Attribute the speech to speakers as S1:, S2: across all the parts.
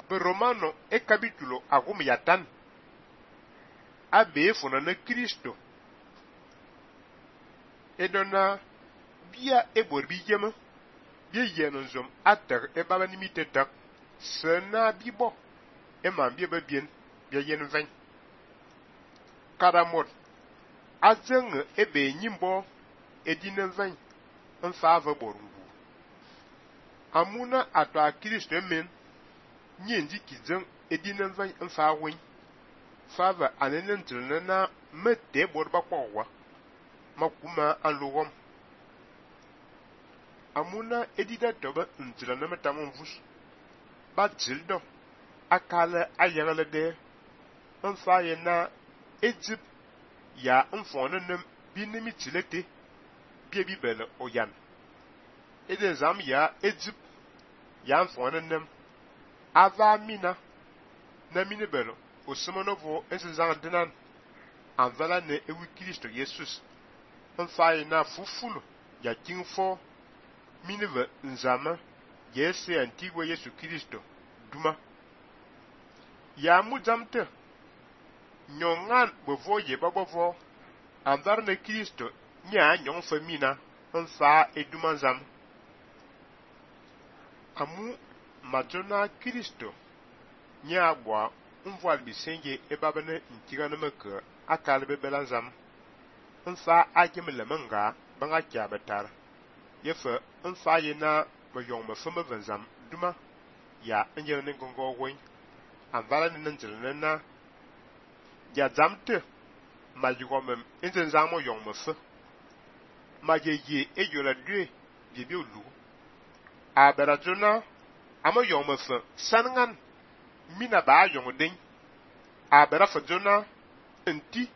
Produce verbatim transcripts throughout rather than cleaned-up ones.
S1: Be Romano e capítulo agum yatan. Abe fona na Cristo. E dona bia e bor bi yema. Bia yen nzom ater e baba nimite tak. Se na bibo. E man bia ba bien. Bia yen veng. Karamot. Azeng e be nyimbo. E dinen veng. Un fave borungu. Amuna ato a Cristo men. Nyendi kizeng e dinen veng un fa wing. Fave anenen trilena mete bor ba kwa. Makuma anlogom. Amuna edida toba ntrilena metamon vus. Ba tildo. Akale ayagale de. Un fa yena Egypt. Ya un fone nem binemi tilete. Bie bibele oyan. Eden zam ya Egypt. Ya un fone nem. Ava mina. Na mine belo. O semonovo ense zang dinan. Anvala ne ewi Kristo Jesus. Un fa yena fufulu. Ya king fo. Mineve nzama. Yese antigua Yesu Kristo. Duma. Ya mujamte. Nyongan bevo ye babovo. Andar ne Kristo. Nya nyon femina. Nfa eduma zam. Amu majona Kristo. Nya abwa. Nvoal bisenge ebabene ntiga nemeke. Akal bebela zam. Nfa agem lemenga. Banga kya betar. Yefe nfa yena. Beyong me feme venzam. Duma. Ya enjel ne gongo weng. Anvala ne nenjel na. Ya zamte. Ma yigomem enzen zamo yong me fe. Ma ye ye e yola dwe. Bibi ulu. A berazona. Amo yong me fe. Sanengan. Mina ba yong ding. A berafajona. Enti.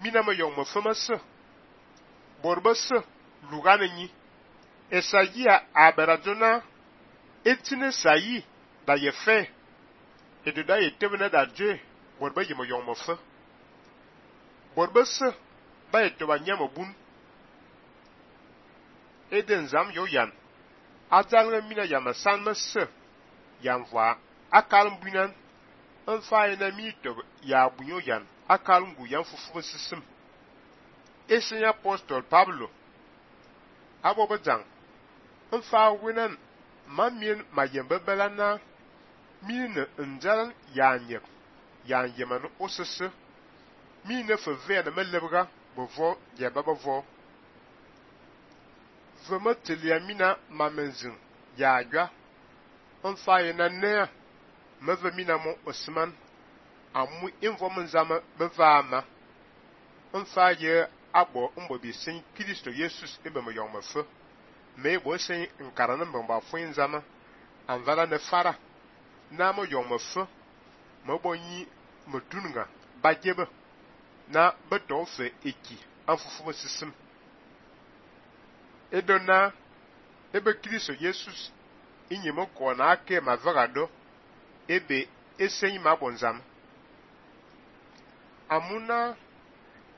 S1: Mina me yong me fe me se. Borbe se. Lugane nyi. Esayi a berazona. Etine sayi. Da ye fe. E de da ye tebene da dwe. Borbe ye me yong me fe. Borbe se. Ba ye toba nyama bun. Eden zam yo yan. Azalre mina yama san me se. Yan vwa. Akal mbunan. Un fa yena mi toba ya bunyo yan. Akal mbu yan fufu sisim. Esen apostol Pablo. Abo bezang. Un fa winan. Mamien ma yembe belana. Mine njalan yanyek. Yan yeman osese. Mine fe vene me lebga. Bevo yeba bevo. Veme telia mina mamenzin. Ya gwa. Un fa yena nea. Me ve mina mo osman. Amu invo menzama beva ama. Un fa ye abo mbo bi sen Kristo Jesus ebe me yong me fe. Me bo sen nkarane mbamba fo nzama. Anvala ne fara. Na mo yong me fe. Me bo yi me tunga. Ba jebe. Na beto fe eki. Anfufu me sisim. Edona. Ebe Kristo Jesus. Inye mo kwa na ake ma verado. Ebe esen ma bonzam. Amuna.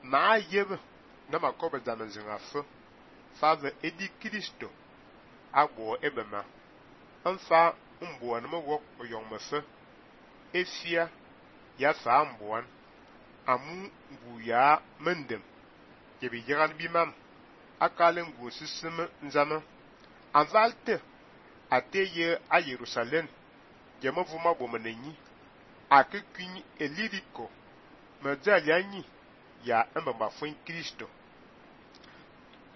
S1: Ma yebe. Na makobe zaman zinga fe. Fave edi Kristo. Agbo ebe ma. Anfa mbuan me wok oyong me fe. Efia. Ya fa mbuan. Amu ngu ya mendem. Yebi yiran bimam. Akale ngu sisime nzama. Anvalte. Ate ye a Jerusalem. Yeme vuma bomenenyi. Ake kuni eliriko. Medali anyi. Ya mbamba fwen Kristo.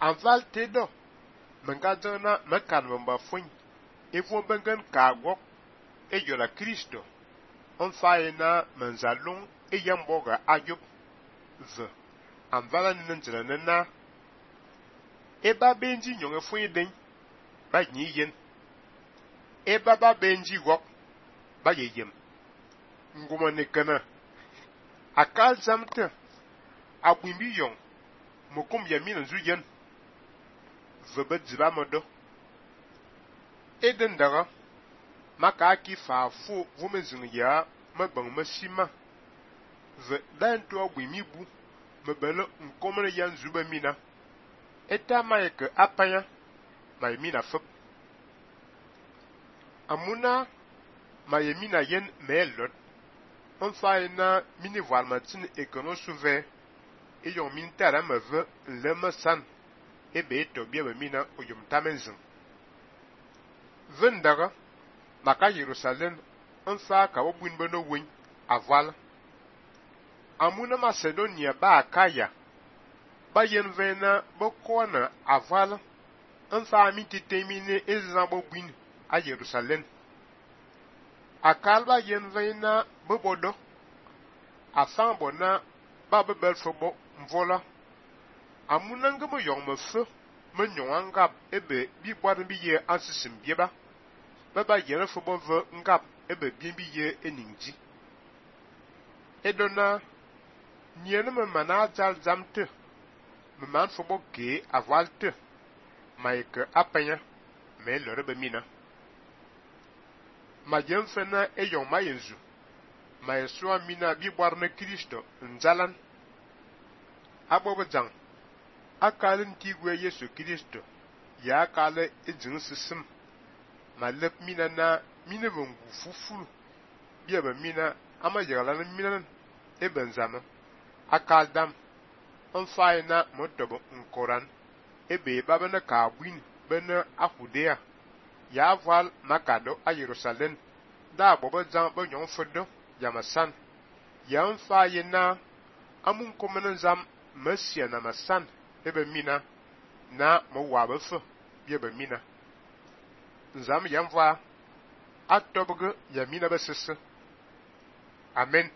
S1: Anvalte do. Mengadona mekan mbamba fwen. Evo bengen kagwok. E yola Kristo. Onfaye na menzalong. E yamboga ayop. Ve. Anvala ninjela nena. Eba benji nyonge fwen den. Ba nyi yen. Eba ba benji wok. Ba ye yem. Nguma nekana. Akal zamte. Abwimbi yong. Mokum yamin nzu yen. Vebe dziba modo. Eden daga. Maka aki fa fu vumezing ya. Mebang mesima. Ve dan to abwimi bu. Mebele nkomene yan zuba mina. Eta maike apanya. May mina fep. Amuna. ma ye mina yen me lot on fa na mini voile matin e kono souve e yon min tara me ve le me san e be to bia be mina o yum tamenzin vendaga maka Jerusalem on fa ka obun beno win aval amuna Macedonia ba akaya ba yen vena bo kona aval on fa mi titemine ezan bo bun a Jerusalem akalba yen vena bo bodo afan bona ba bebel fobo mvola amuna ngamo yong me fe me nyongangap ebe bi bwar bi ye ansisim bieba baba yen fobo ve ngap ebe bi bi ye eningji edona niene me mana jal zamte me man fobo ke avalte maike apenya me lore be mina ma jem fena e yon ma yenzu ma yesua mina bi bwar na Kristo nzalan abo bejang akalin tigwe Yesu Kristo ya akale ejin sisim ma lep mina na mina vongu fufulu bi ebe mina ama yagala mina e benzama akal dam on fay na motobo nkoran ebe baba na kabwin bena akudea ya val makado a Jerusalem da bobo jan bo nyon fodo yamasan ya on fay na amun komenan zam mesia na masan ebe mina na mo wabefe bi ebe mina zam yamva atobge ya mina besese amen.